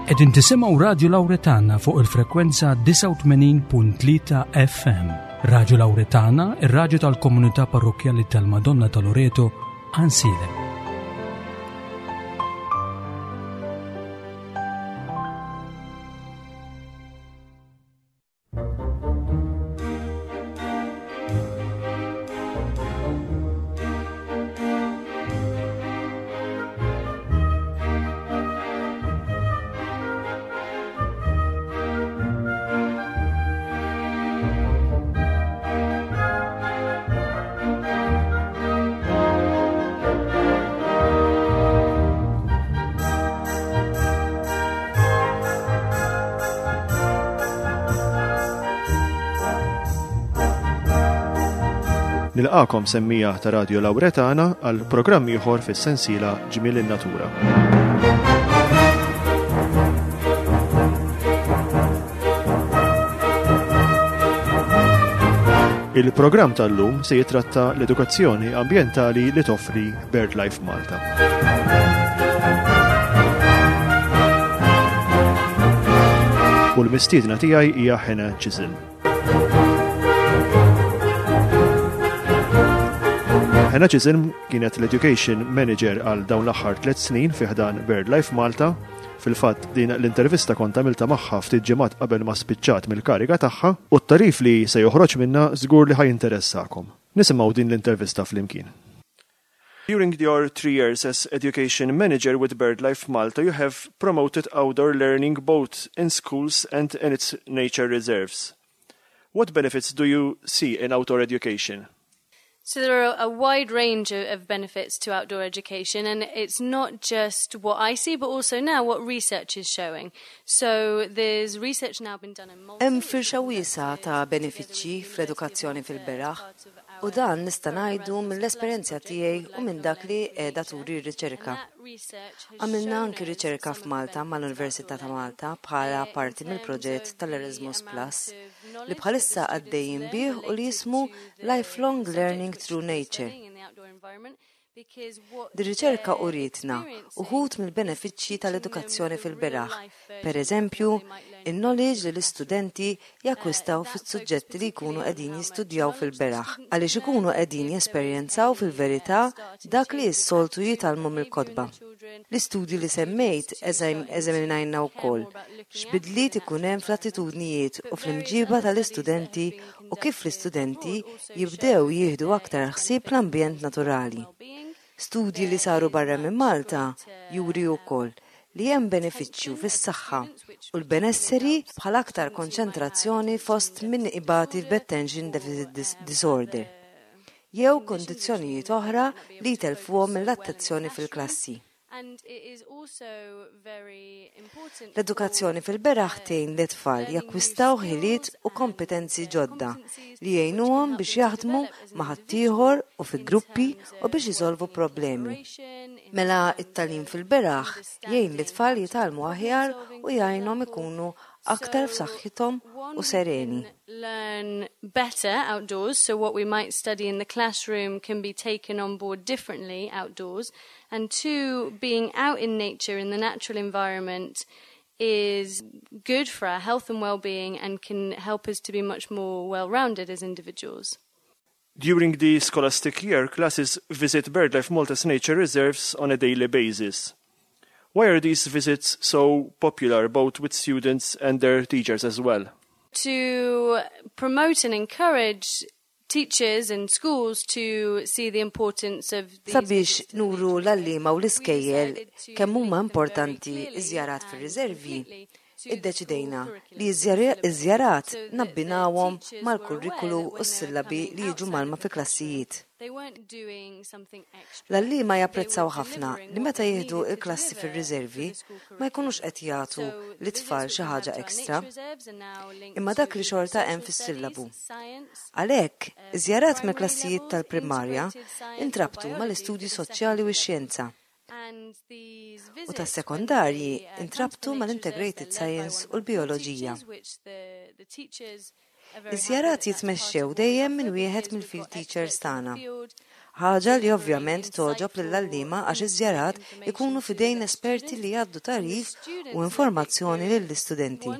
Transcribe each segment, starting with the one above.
Qegħdin tisimgħu Radju Lawretana fuq il-frekwenza 89.3 FM. Radju Lawretana, ir-radju tal-komunità parrokkjali tal-Madonna ta' Loreto, Ansilem. Nilqakom semmija ta' Radio Lauretana għal programm ieħor fis-sensiela Ġmiel in-Natura. Il-programm tal-lum se jitratta l-edukazzjoni ambjentali li toffri BirdLife Malta. U l-mistiedna tiegħi hija Hannah Chisholm. Hannah Chisholm kienet l-Education Manager għal dawn l-aħħar tliet snin fi ħdan BirdLife Malta. Fil-fatt din l-intervista kont għamilta magħha ftit ġimgħat qabel ma spiċċat mill-kariga tagħha u t-tarif li se joħroġ minnha żgur li ħa jinteressakom. Nisimgħu din l-intervista flimkien. During your three years as education manager with BirdLife Malta, you have promoted outdoor learning both in schools and in its nature reserves. What benefits do you see in outdoor education? So there are a wide range of benefits to outdoor education, and it's not just what I see, but also now what research is showing. So there's research now been done in Malta. Hemm firxa wiesgħa ta' benefiċċji fl-edukazzjoni fil-beraħ u dan nista' ngħidu mill-esperjenza tiegħi u minn dak li qiegħda turi r-riċerka. Għamilna anki riċerka f'Malta mal-Università ta' Malta bħala parti mill-proġett tal-Erasmus Plus li bħalissa għaddejjin bih u li jismu Lifelong Learning Through Nature. Dir-riċerka urietna uħud mill-benefiċċji tal-edukazzjoni fil-beraħ, per eżempju, in-knowledge li l-istudenti jakkwistaw fis-suġġetti li jkunu qegħdin jistudjaw fil-beraħ għaliex ikunu qegħdin jesperjenzaw fil-verità dak li s-soltu jitgħallmu mill-kotba. L-istudji li semmejt eżaminajna wkoll x'bidliet ikun hemm fl-attitudnijiet u fl-imġiba tal-istudenti u kif l-istudenti jibdew jieħdu aktar ħsieb l-ambjent naturali. Studji li saru barra minn Malta juri wkoll li hemm benefiċċju fis-saħħa u l-benesseri bħal aktar konċentrazzjoni fost min ibati b'attention deficit disorder jew kundizzjonijiet oħra li jtellfuhom mill-attenzjoni fil-klassi. L-edukazzjoni fil-beraħ tgħin lit-tfal jakkwistaw ħiliet u kompetenzi ġodda li jgħinuhom biex jaħdmu ma' ħaddieħor u fi gruppi u biex isolvu problemi. Mela t-tagħlim fil-beraħ jgħin lit-tfal jitgħallmu aħjar u jgħinhom ikunu aktar f'saħħithom u sereni. Learn better outdoors, so what we might study in the classroom can be taken on board differently outdoors and two, being out in nature in the natural environment is good for our health and well-being and can help us to be much more well-rounded as individuals. During the scholastic year, classes visit BirdLife Malta's nature reserves on a daily basis. Why are these visits so popular both with students and their teachers as well? To promote and encourage teachers and schools to see the importance of these Sabiex nuru l-għalliema u l-iskejjel kemm huma importanti ż-żjarat fir-riservi, iddeċidejna li ż-żjarat nabbinawhom mal-kurrikulu u s-sillabi li jiġu mgħallma fil-klassijiet. L-għalliema japprezzaw ħafna li meta jieħdu l-klassi fir-riservi ma jkunux qed jagħtu lit-tfal xi ħaġa extra, imma dak li xorta hemm fis-sillabu. Għalhekk, iż-żjarat mill-klassijiet tal-primarja intrabtu mal-istudji soċjali u x-xjenza, u tas-sekondarji intrabtu mal-Integrated Science u l-Bijoloġija. Iż-żjarat jitmexxew dejjem minn wieħed mill-field teachers tagħna. Ħaġa li ovvjament togħġob lill-għalliema għax iż-żjarat ikunu f'idejn esperti li jgħaddu tagħrif u informazzjoni lill-istudenti.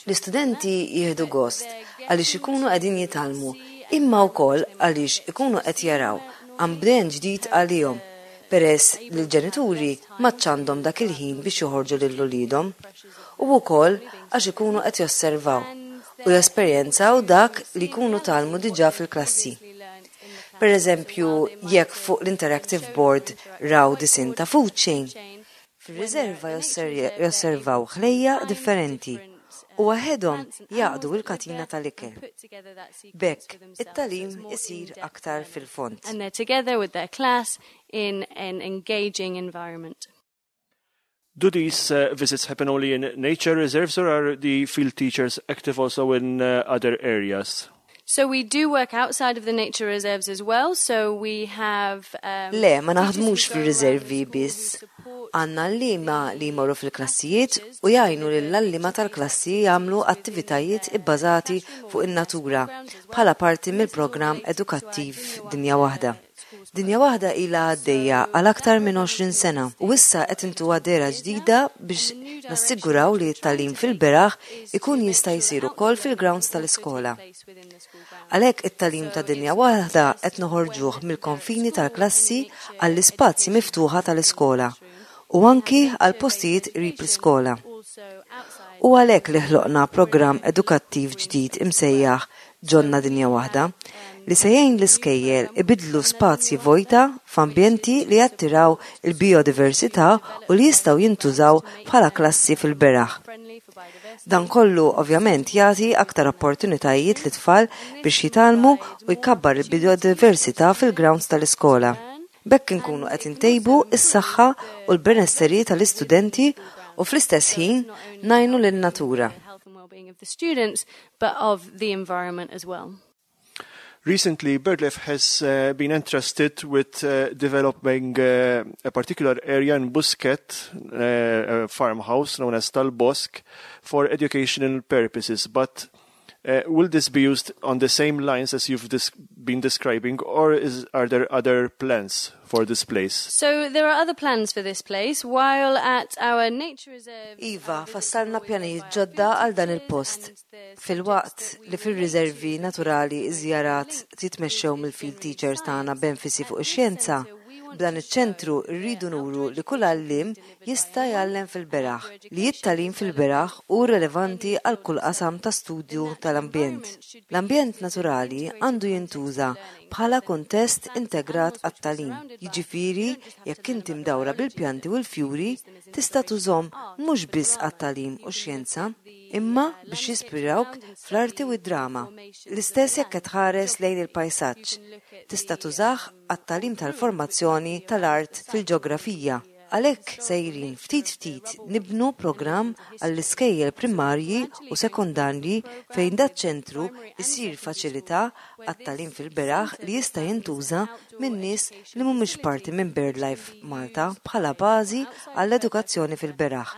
L-istudenti jieħdu gost għaliex ikunu qegħdin jitgħallmu imma wkoll għaliex ikunu qed jaraw ambjent ġdid għalihom peress li l-ġenituri m'għadx għandhom dak il-ħin biex joħorġu lil uliedhom u wkoll għax ikunu qed josservaw u jesperjenzaw dak li jkunu tgħallmu diġà fil-klassi. Per eżempju, jekk fuq l-interactive board raw disinn ta' food chain, fir-riserva josservaw ħlejjaq differenti u waħedhom jgħaqqdu l-katina tal-ikel. B'hekk, it-tagħlim isir aktar fil-fond. And they're together with their class in an engaging environment. Do these uh, visits happen only in nature reserves or are the field teachers active also in uh, other areas? So we do work outside of the nature reserves as well, so we have um, Le, ma naħdmux fir-riservi biss. Għandna għalliema li jmorru fil-klassijiet u jgħinu lill-għalliema tal-klassi jagħmlu attivitajiet ibbażati fuq in-natura bħala parti mill-programm edukattiv Dinja Waħda. Dinja Waħda ilha għaddejja għal aktar minn 20 sena u issa qed intuha dehra ġdida biex nassiguraw li t-tagħlim fil-beraħ ikun jista' jsir ukoll fil-grounds tal-iskola. Għalhekk it-tagħlim ta' Dinja Waħda qed noħorġuh mill-konfini tal-klassi għall-ispazji miftuħa tal-iskola u anki għal postijiet qrib l-iskola. Hu għalhekk li ħloqna programm edukattiv ġdid imsejjaħ Ġonna Dinja Waħda, li se jgħin l-iskejjel ibiddlu spazji vojta f'ambjenti li jattiraw il-bijodiversità u li jistgħu jintużaw bħala klassi fil-beraħ. Dan kollu ovvjament jagħti aktar opportunitajiet lit-tfal biex jitgħallmu u jkabbar il-bijodiversità fil-grounds tal-iskola. B'hekk inkunu qed intejbu s-saħħa u l-benesseri tal-istudenti u fl-istess ħin ngħinu lin-natura. But of the environment as well. Recently, BirdLife has uh, been entrusted with uh, developing uh, a particular area in Buskett, uh, a farmhouse known as Talbosk, for educational purposes. But uh, will this be used on the same lines as you've des been describing, or is, are there other plans for this place? So there are other plans for this place. While at our nature reserve... Iva, fassalna pjanijiet ġodda għal dan il-post. Filwaqt li fir-riservi naturali iż-żjarat jitmexxew mill-field teachers tagħna b'enfasi fuq ix-xjenza, b'dan iċ-ċentru rridu nuru li kull għalliem jista' jgħallem fil-beraħ, li t-tagħlim fil-beraħ hu relevanti għal kull qasam ta' studju tal-ambjent. L-ambjent naturali għandu jintuża bħala kuntest integrat għat-tagħlim, jiġifieri jekk inti mdawra bil-pjanti u l-fjuri, tista' tużhom mhux biss għat-tagħlim u x-xjenza, imma biex jispirawk fl-arti u d-drama. L-istess jekk qed tħares lejn il-pajsaġġ, tista' tużah għat-tagħlim tal-formazzjoni tal-art fil-ġeografija. Għalhekk sejrin ftit ftit nibnu programm għall-iskejjel primarji u sekondarji fejn daċ-ċentru jsir faċilità għat-tagħlim fil-beraħ li jista' jintuża minn nies li mhumiex parti minn BirdLife Malta bħala bażi għall-edukazzjoni fil-beraħ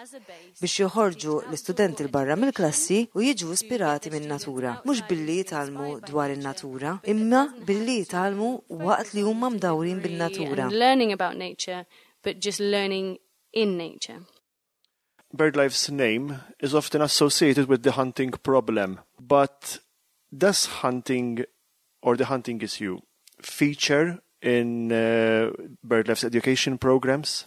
biex joħorġu l-istudenti 'l barra mill-klassi u jiġu ispirati min-natura, mhux billi jitgħallmu dwar in-natura, imma billi jitgħallmu waqt li huma mdawrin bin-natura. but just learning in nature. BirdLife's name is often associated with the hunting problem, but does hunting or the hunting issue feature in uh, BirdLife's education programs?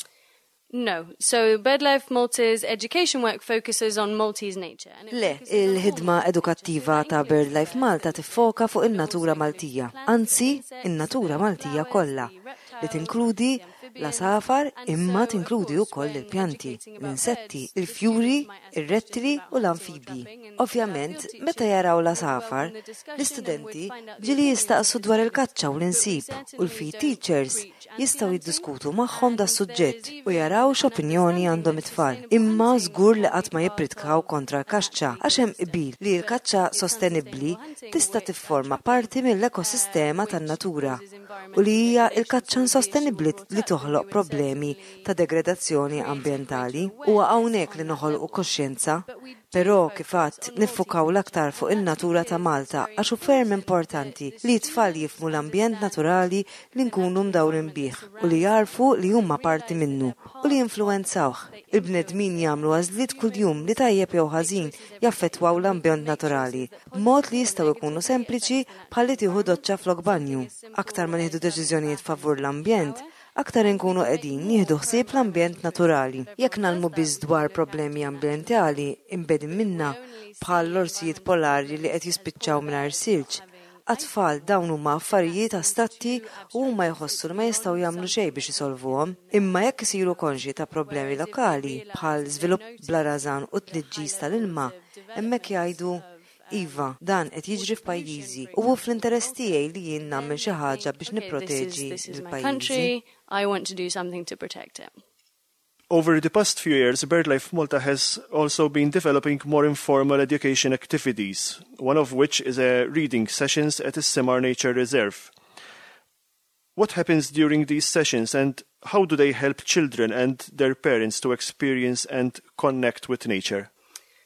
No. So BirdLife Malta's education work focuses on Maltese nature. Le, il-ħidma edukattiva ta' BirdLife Malta tiffoka fuq in-natura Maltija, anzi, in-natura Maltija kollha, li tinkludi l-għasafar imma tinkludi wkoll il-pjanti, l-insetti, il-fjuri, ir-rettili u l-anfibji. Ovvjament, meta jaraw l-għasafar, l-istudenti ġieli jistaqsu dwar il-kaċċa u l-insib u l-field teachers. Jistgħu jiddiskutu magħhom das-suġġett u jaraw x'opinjoni għandhom it-tfal. Imma żgur li qatt ma jippritkaw kontra l-kaċċa għax hemm qbil li l-kaċċa sostenibbli tista' tifforma parti mill-ekosistema tan-natura u li hija l-kaċċa insostenibbli li toħloq problemi ta' degredazzjoni ambjentali. Huwa hawnhekk li noħolqu koxjenza. Però, kif għedt, niffukaw l-aktar fuq in-natura ta' Malta għax hu ferm importanti li t-tfal jifhmu l-ambjent naturali li nkunu mdawrin bih u li jagħrfu li huma parti minnu u li jinfluwenzawh. Il-bnedmin jagħmlu għażliet kuljum li tajjeb jew ħażin jaffettwaw l-ambjent naturali b'mod li jistgħu jkunu sempliċi bħal li tieħu doċċa flok banju. Aktar ma nieħdu deċiżjonijiet favur l-ambjent, aktar inkunu qegħdin nieħdu ħsieb l-ambjent naturali. Jekk ngħallmu biss dwar problemi ambjentali imbegħdin minna, bħal l-orsijiet polari li qed jispiċċaw mingħajr silġ, għat-tfal dawn huma affarijiet astratti u huma jħossu li ma jistgħu jagħmlu xejn biex isolvuhom. Imma jekk isiru konxji ta' problemi lokali, bħal żvilupp bla rażan u tniġġis tal-ilma, hemmhekk jgħidu, Iva, dan qed jiġri f'pajjiżi u hu fl-interess tiegħi li jien nagħmel xi ħaġa biex nipproteġi lil pajjiżi. Over the past few years, BirdLife Malta has also been developing more informal education activities, one of which is a reading sessions at the Simar Nature Reserve. What happens during these sessions and how do they help children and their parents to experience and connect with nature?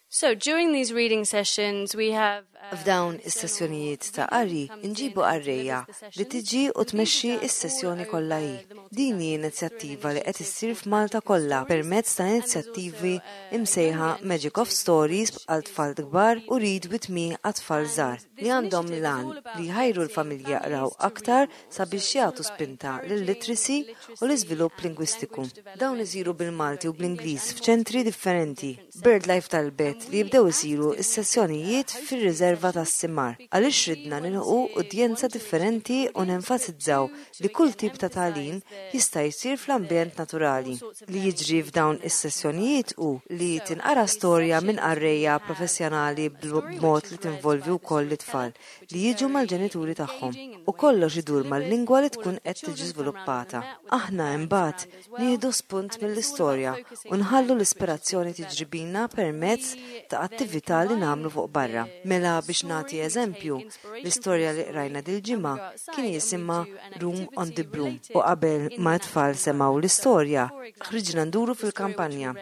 So during these reading sessions we have uh, F'dawn is-sessjonijiet ta' qari nġibu qarrejja li tiġi u tmexxi s-sessjoni kollha hi. Din hi inizjattiva li qed issir f'Malta kollha permezz ta' inizjattivi imsejħa Magic of Stories għal tfal kbar u Read With Me għat-tfal żgħar li għandhom l-għan li jħajru l-familji jaqraw aktar sabiex jagħtu spinta lil-literacy u l-iżvilupp lingwistiku. Dawn isiru bil-Malti u bl-Ingliż f'ċentri differenti. BirdLife talbet li jibdew isiru s-sessjonijiet fir-riserva tas-Simar għaliex ridna nilħqu udjenza differenti u nenfasizzaw li kull tip ta' tagħlim jista' jsir fl-ambjent naturali. Li jiġri f'dawn is-sessjonijiet hu li tinqara storja minn qarrejja professjonali b'mod li tinvolvi wkoll lit-tfal li jiġu mal-ġenituri tagħhom u kollox idur mal-lingwa li tkun qed tiġi żviluppata. Aħna imbagħad nieħdu spunt mill-istorja u nħallu l-ispirazzjoni tiġri bina permezz ta' attività li nagħmlu fuq barra. Mela biex nagħti eżempju, l-istorja li qrajna dil-ġimgħa kien jisimha Room on the Broom u qabel ma t-tfal semgħu l-istorja, ħriġna nduru fil-kampanja.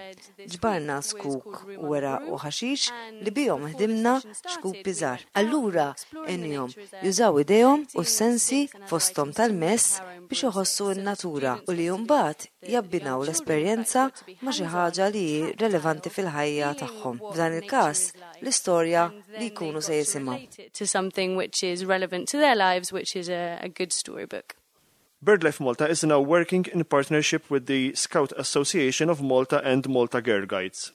Ġbarna zkuk u weraq u ħaxix li bihom ħdimna xkupi żgħar. Allura għenihom jużaw idejhom u s-sensi fosthom tal-mess biex iħossu n-natura u li mbagħad jabbinaw l-esperjenza ma' xi ħaġa li hi relevanti fil-ħajja tagħhom, f'dan il-każ l-istorja li jkunu se jisimgħu. To something which is relevant to their lives, which is a, a good storybook. BirdLife Malta is now working in partnership with the Scout Association of Malta and Malta Girl Guides.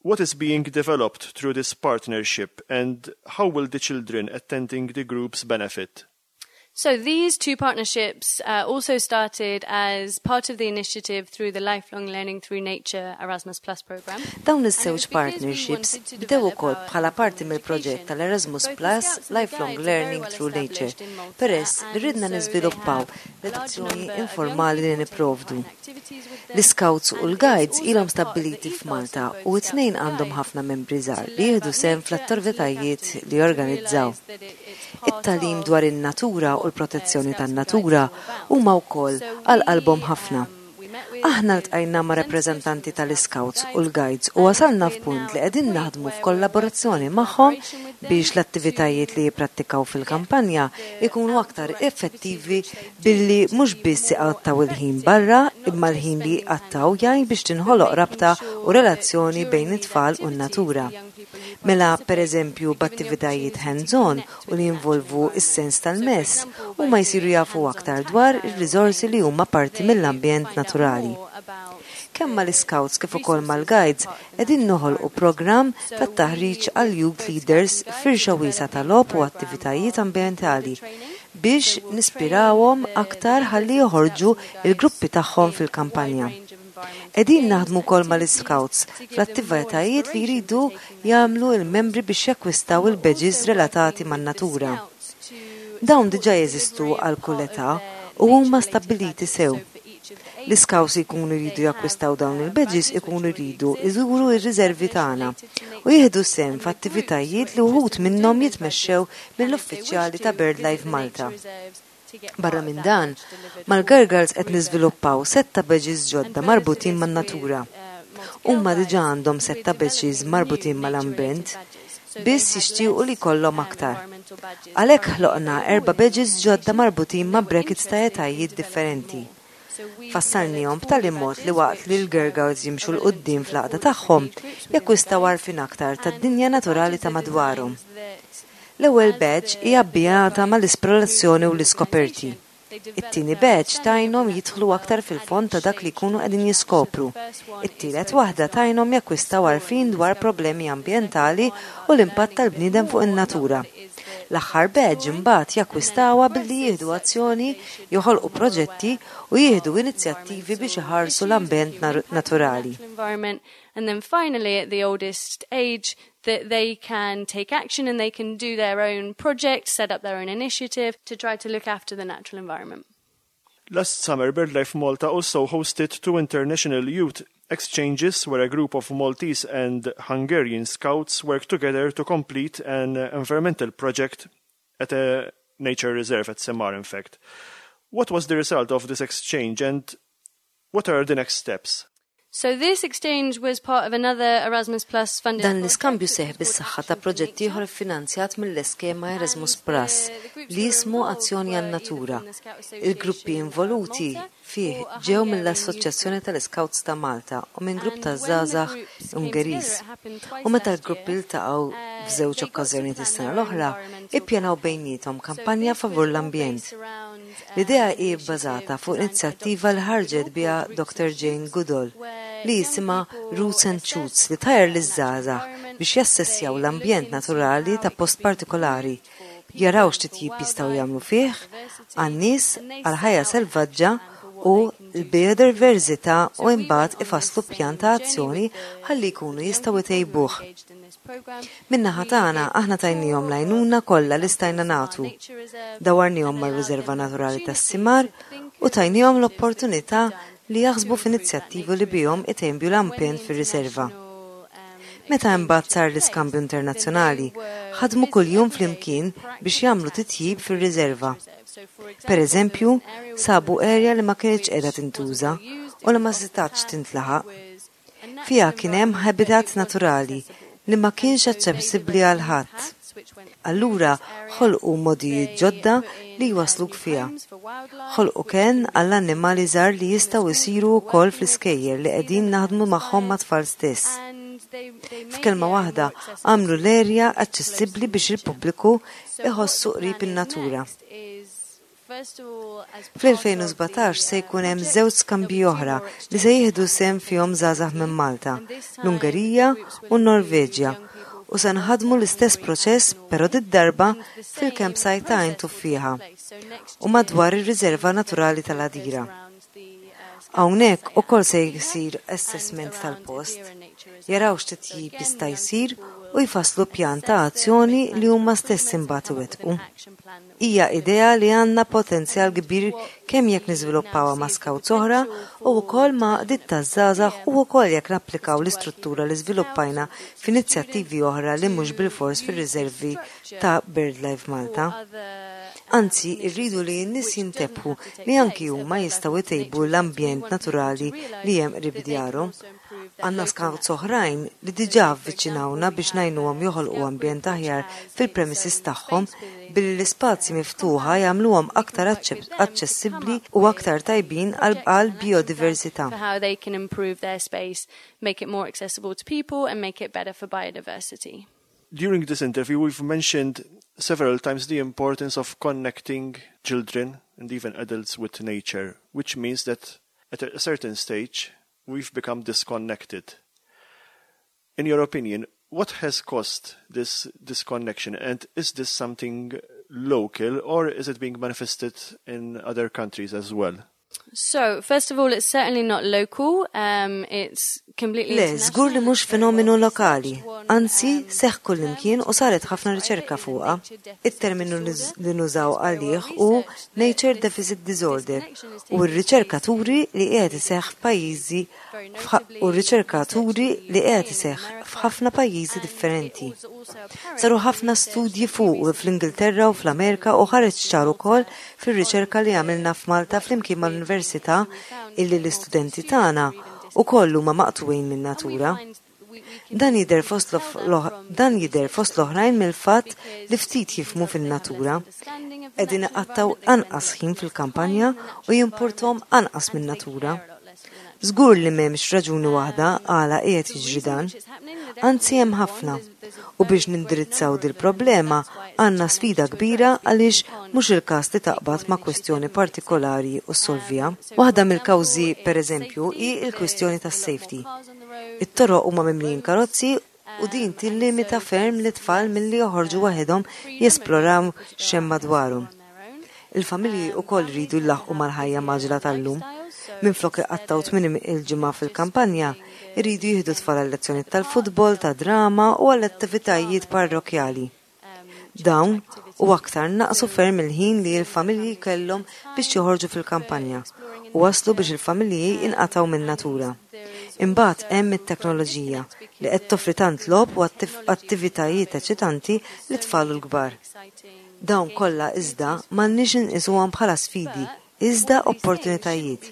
What is being developed through this partnership and how will the children attending the groups benefit? So these two partnerships uh, also started as part of the initiative through the Lifelong Learning Through Nature Erasmus Plus program. Dawn iż-żewġ partnerships bdew ukoll bħala parti mill-proġett tal-Erasmus Plus Lifelong Learning Through Nature, peress li ridna niżviluppaw l-edukazzjoni informali li nipprovdu. L-Iscouts u l-Guides ilhom stabbiliti f'Malta u t-tnejn għandhom ħafna membri żgħar li jieħdu sehem fl-attivitajiet li jorganizzaw. It-tagħlim dwar in-natura u l-protezzjoni tan-natura huma wkoll għal qalbhom ħafna. Aħna ltqajna ma' rappreżentanti tal-Iscouts u l-Guides u wasalna f'punt li qegħdin naħdmu f'kollaborazzjoni magħhom biex l-attivitajiet li jipprattikaw fil-kampanja jkunu aktar effettivi billi mhux biss iqattgħu il-ħin barra imma l-ħin li jqattgħu jgħin biex tinħoloq rabta u relazzjoni bejn it-tfal u n-natura. Mela, per eżempju, b'attivitajiet hands-on u li jinvolvu s-sens tal-mess, huma jsiru jafu aktar dwar ir-riżorsi li huma parti mill-ambjent naturali. Kemm mal-Iscouts kif ukoll mal-Guides qegħdin noħolqu programm ta' taħriġ għal youth leaders f'firxa wiesgħa ta' logħob u attivitajiet ambjentali biex nispirawhom aktar ħalli joħorġu l-gruppi tagħhom fil-kampanja. Qegħdin naħdmu wkoll mal-Iscouts fl-attivitajiet li jridu jagħmlu l-membri biex jakkwistaw il-badges relatati man-natura. Dawn diġà jeżistu għal kull età. u huma stabbiliti sew. L-iscouts li jkunu jridu jakkwistaw dawn il-badges ikunu jridu jżuru r-riservi tagħna u jieħdu sehem f'attivitajiet li wħud minnhom jitmexxew mill-uffiċjali ta' BirdLife Malta. Barra minn dan, mal-Girl Guards qed niżviluppaw sett ta' badges ġodda marbutin man-natura. Huma diġà għandhom sett ta' badges marbutin mal-ambjent, biss jixtiequ li jkollhom aktar. Għalhekk ħloqna erba' badges ġodda marbutin ma' brackets ta' etajiet differenti. Fassalniehom b'tali mod li waqt li l-Girl Guards jimxu 'l quddiem fl-għaqda tagħhom, jakkwistaw għarfien aktar tad-dinja naturali ta' madwarhom. L-ewwel badge hi abbinata mal-esplorazzjoni u l-iskoperti. It-tieni badge tgħinhom jidħlu aktar fil-fond ta' dak li jkunu qegħdin jiskopru. It-tielet waħda tgħinhom jakkwistaw għarfien dwar problemi ambjentali u l-impatt tal-bniedem fuq in-natura. L-aħħar badge imbagħad jakkwistawha billi jieħdu azzjoni, joħolqu proġetti u jieħdu inizjattivi biex iħarsu l-ambjent naturali. And then finally at the oldest age that they can take action and they can do their own project, set up their own initiative to try to look after the natural environment. Last summer, BirdLife Malta also hosted two international youth exchanges where a group of Maltese and Hungarian scouts worked together to complete an environmental project at a nature reserve at Semar, in fact. What was the result of this exchange and what are the next steps? So this exchange was part of another Erasmus Plus funded Dan l-iskambju seħħ bis-saħħa ta' proġett ieħor iffinanzjat mill-eskema Erasmus Plus li jismu Azzjoni għan-Natura. Il-gruppi involuti fih ġew mill-Assoċjazzjoni tal-Iscouts ta' Malta u minn grupp ta' żgħażagħ Ungeriż. U meta l-gruppi ltaqgħu f'żewġ okkażjonijiet is-sena l-oħra, ippjanaw bejniethom kampanja favur l-ambjent. L-idea hi bbażata fuq inizjattiva li ħarġet biha Dr. Jane Goodall li jisimha Roots and Shoots li tħajjar liż-żgħażagħ biex jassessjaw l-ambjent naturali ta' post partikolari, jaraw x'titjib jistgħu jagħmlu fih għan-nies, għall-ħajja selvaġġa u l-bijodiversità u imbagħad ifasslu pjan ta' azzjoni ħalli jkunu jistgħu jtejbuh. Min-naħa tagħna, aħna tajniehom l-għajnuna kollha li stajna nagħtu. Dawwarniehom mar-Riserva Naturali tas-Simar u tajniehom l-opportunità li jaħsbu f'inizjattivi li bihom itejbu l-ambjent fir-riserva. Meta imbagħad sar l-iskambju internazzjonali, ħadmu kuljum flimkien biex jagħmlu titjib fir-riserva. Per eżempju, sabu area li ma kinitx qiegħda tintuża u li ma setgħetx tintlaħaq. Fiha kien hemm habitat naturali li ma kienx aċċessibbli għal ħadd. Allura ħolqu modijiet ġodda li jwasluk fiha. Ħolqu kenn għall-annimali żgħar li jistgħu jsiru wkoll fl-iskejjel li qegħdin naħdmu magħhom mat-tfal stess. F'kelma waħda, għamlu l-erja aċċessibbli biex il-pubbliku iħossu qrib in-natura. Fl-2017 se jkun hemm żewġ skambji oħra li se jieħdu sehem fihom żgħażagħ minn Malta, l-Ungerija u n-Norveġja u se nħaddmu l-istess proċess però did-darba fil-campsite ta' Għajn Tuffieħa u madwar ir-Riserva Naturali tal-Għadira. Hawnhekk ukoll se jsir assessment tal-post, jaraw x'titjib jista' jsir u jfasslu pjan ta' azzjoni li huma stess imbagħad iwettqu. Hija idea li għandna potenzjal kbir kemm jekk niżviluppawha ma' scouts oħra u wkoll ma' għaqdiet taż-żgħażagħ u wkoll jekk napplikaw l-istruttura li żviluppajna f'inizjattivi oħra li mhux bilfors fir-riservi ta' BirdLife Malta. Anzi, irridu li n-nies jintebħu li anki huma jistgħu jtejbu l-ambjent naturali li hemm qrib djarhom. Għandna scouts oħrajn li diġà avviċinawna biex ngħinuhom joħolqu ambjent aħjar fil-premises tagħhom billi l-ispazji miftuħa jagħmluhom aktar aċċessibbli u aktar tajbin għal bijodiversità. How they can improve their space, make it more accessible to people and make it better for biodiversity. During this interview, we've mentioned several times the importance of connecting children and even adults with nature, which means that at a certain stage, we've become disconnected. In your opinion, what has caused this disconnection and is this something local or is it being manifested in other countries as well? So, first of all, it's certainly not local. Um, it's completely Le, żgur li mhux fenomenu lokali, anzi seħħ kullimkien u saret ħafna riċerka fuqha. It-terminu li nużaw għalih hu Nature Deficit Disorder u r-riċerka turi li qiegħed iseħħ f'pajjiżi u r-riċerka turi li qiegħed iseħħ f'ħafna pajjiżi differenti. Saru ħafna studji fuqu fl-Ingilterra u fl-Amerika u ħareġ ċar ukoll fir-riċerka li għamilna f'Malta flimkien mal-Università illi l-istudenti tagħna ukoll huma maqtugħin min-natura. Dan jidher fost dan jidher fost l-oħrajn mill-fatt li ftit jifhmu fin-natura. Qegħdin iqattgħu anqas ħin fil-kampanja u jimpurtahom anqas min-natura. Żgur li m'hemmx raġuni waħda għala qiegħed jiġri dan. Anzi hemm ħafna. U biex nindirizzaw dil-problema għandna sfida kbira għaliex mhux il-każ li taqbad ma' kwestjoni partikolari u ssolviha. Waħda mill-kawżi pereżempju hi l-kwistjoni tas-safety. It-toroq huma mimlijin karozzi u din tillimita ferm lit-tfal milli joħorġu waħedhom jesploraw x'hemm madwarhom. Il-familji wkoll iridu jlaħħqu mal-ħajja mgħaġġla tal-lum. Minflok iqattgħu tmiem il-ġimgħa fil-kampanja, iridu jieħdu t-tfal għal-lezzjonijiet tal-futbol, tad-drama u għall-attivitajiet parrokkjali. Dawn u aktar naqsu ferm il-ħin li l-familji kellhom biex joħorġu fil-kampanja u waslu biex il-familji inqatgħu min-natura. Imbagħad hemm it-teknoloġija li qed toffri tant logħob u attivitajiet eċitanti lit-tfal u l-kbar. Dawn kollha iżda m'għandniex inqisuhom bħala sfidi iżda opportunitajiet.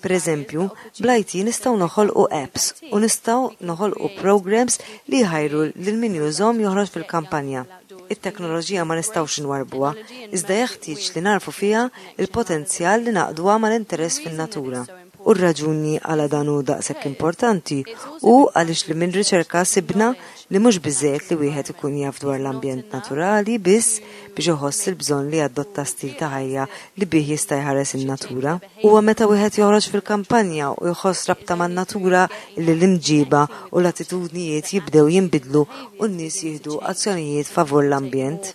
Pereżempju, bl-IT nistgħu noħolqu apps u nistgħu noħolqu programs li jħajru lil min jużhom joħroġ fil-kampanja. It-teknoloġija ma nistgħux inwarrbuha, iżda jeħtieġ li nagħrfu fiha l-potenzjal li ngħaqqduha mal-interess fin-natura. U r-raġuni għala dan hu daqshekk importanti hu għaliex li minn riċerka sibna li mhux biżżejjed li wieħed ikun jaf dwar l-ambjent naturali biss biex iħoss il-bżonn li jadotta stil ta' ħajja li bih jista' jħares in-natura. Huwa meta wieħed joħroġ fil-kampanja u jħoss rabta man-natura li l-imġiba u l-attitudnijiet jibdew jinbidlu u n-nies jieħdu azzjonijiet favur l-ambjent.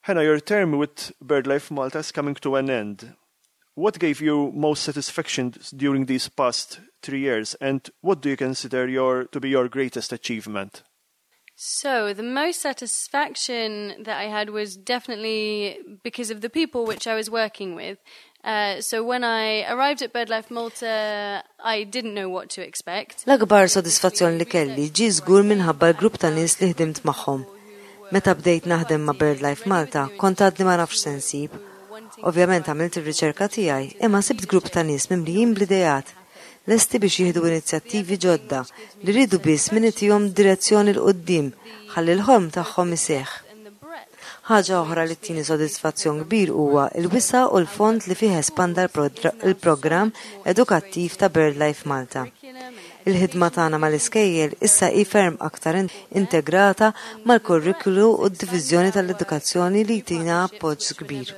Hannah, your term with BirdLife Malta is coming to an end. What gave you most satisfaction during these past 3 years and what do you consider your to be your greatest achievement? So, the most satisfaction that I had was definitely because of the people which I was working with. So when I arrived at BirdLife Malta, I didn't know what to expect. L-akbar sodisfazzjon li kelli ġie żgur minħabba l-grupp ta' nies li ħdimt magħhom. Meta bdejt naħdem ma' BirdLife Malta, kont għadni ma nafx se nsib. Ovvjament għamilt ir-riċerka tiegħi, imma sibt grupp ta' nies mimlijin bl-ideat. Lesti biex jieħdu inizjattivi ġodda li rridu biss min itihom direzzjoni 'l quddiem ħalli l-ħolm tagħhom iseħħ. Ħaġa oħra li ttini sodisfazzjon kbir huwa l-wisa' u l-fond li fih espanda l-programm edukattiv ta' BirdLife Malta. Il-ħidma tagħna mal-iskejjel issa hi ferm aktar integrata mal-kurrikulu u d-diviżjoni tal-edukazzjoni li jtina appoġġ kbir.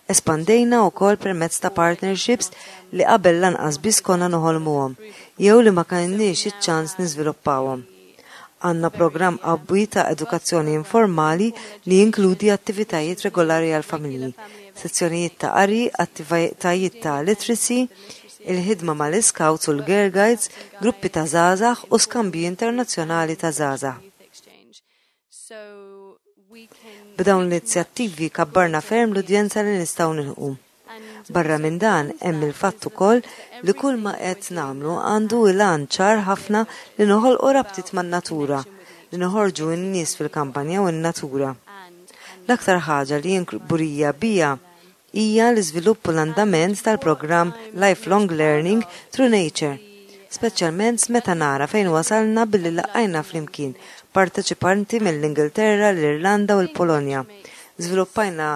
Espandejna wkoll permezz ta' partnerships li qabel lanqas biss konna noħolmuhom jew li ma kellniex iċ-ċans niżviluppawhom. Għandna programm qawwi ta' edukazzjoni informali li jinkludi attivitajiet regolari għall-familji, sezzjonijiet ta' qari, attivitajiet ta' literacy, il-ħidma mal-Scouts u l-Girl Guides, gruppi ta' żgħażagħ u skambji internazzjonali ta' żgħażagħ. B'dawn l-inizjattivi kabbarna ferm l-udjenza li nistgħu nilħqu. Barra minn dan hemm il-fatt ukoll li kull ma qed nagħmlu għandu il-għan ċar ħafna li noħolqu rabtiet man-natura, li noħorġu n-nies fil-kampanja u n-natura. L-aktar ħaġa li jien kburija biha hija l-iżvilupp u l-andament tal-programm Lifelong Learning Through Nature, speċjalment meta nara fejn wasalna billi laqqajna flimkien parteċipanti mill-Ingilterra, l-Irlanda u l-Polonja. Żviluppajna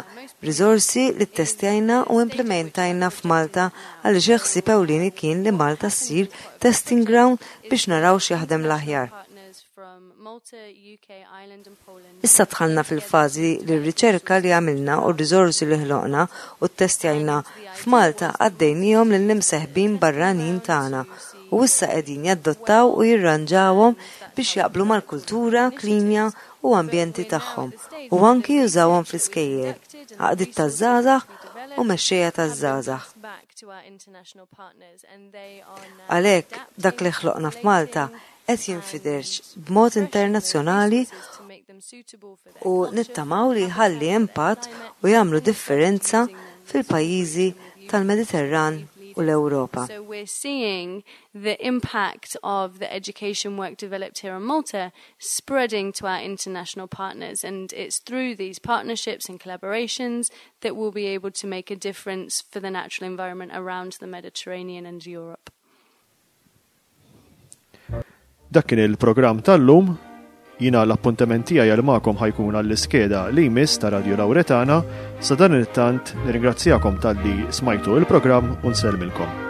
riżorsi li ttestjajna u implementajna f'Malta għaliex il-ħsieb ewlieni kien li Malta ssir testing ground biex naraw x'jaħdem l-aħjar. Issa dħalna fil-fażi li r-riċerka li għamilna u r-riżorsi li ħloqna u ttestjajna f'Malta għaddejniehom lill-imseħbin barranin tagħna u issa qegħdin jadottaw u jirranġawhom biex jaqblu mal-kultura, klima u ambjenti tagħhom u anki jużawhom fl-iskejjel, għaqdiet taż-żgħażagħ u mexxejja taż-żgħażagħ. to our international partners and they are now Għalhekk dak li ħloqna f'Malta qed jinfirex b'mod internazzjonali u nittamaw li jħalli impatt u jagħmlu differenza fil-pajjiżi tal-Mediterran u l-Ewropa. So we're seeing the impact of the education work developed here in Malta spreading to our international partners, and it's through these partnerships and collaborations that we'll be able to make a difference for the natural environment around the Mediterranean and Europe. Dak kien il-programm tal-lum. Jiena l-appuntament tiegħi għal magħkom ħa jkun għall-iskeda li jmiss ta' Radio Lauretana. Sa dan it-tant nirringrazzjakom talli smajtu il-programm u nsellmilkom.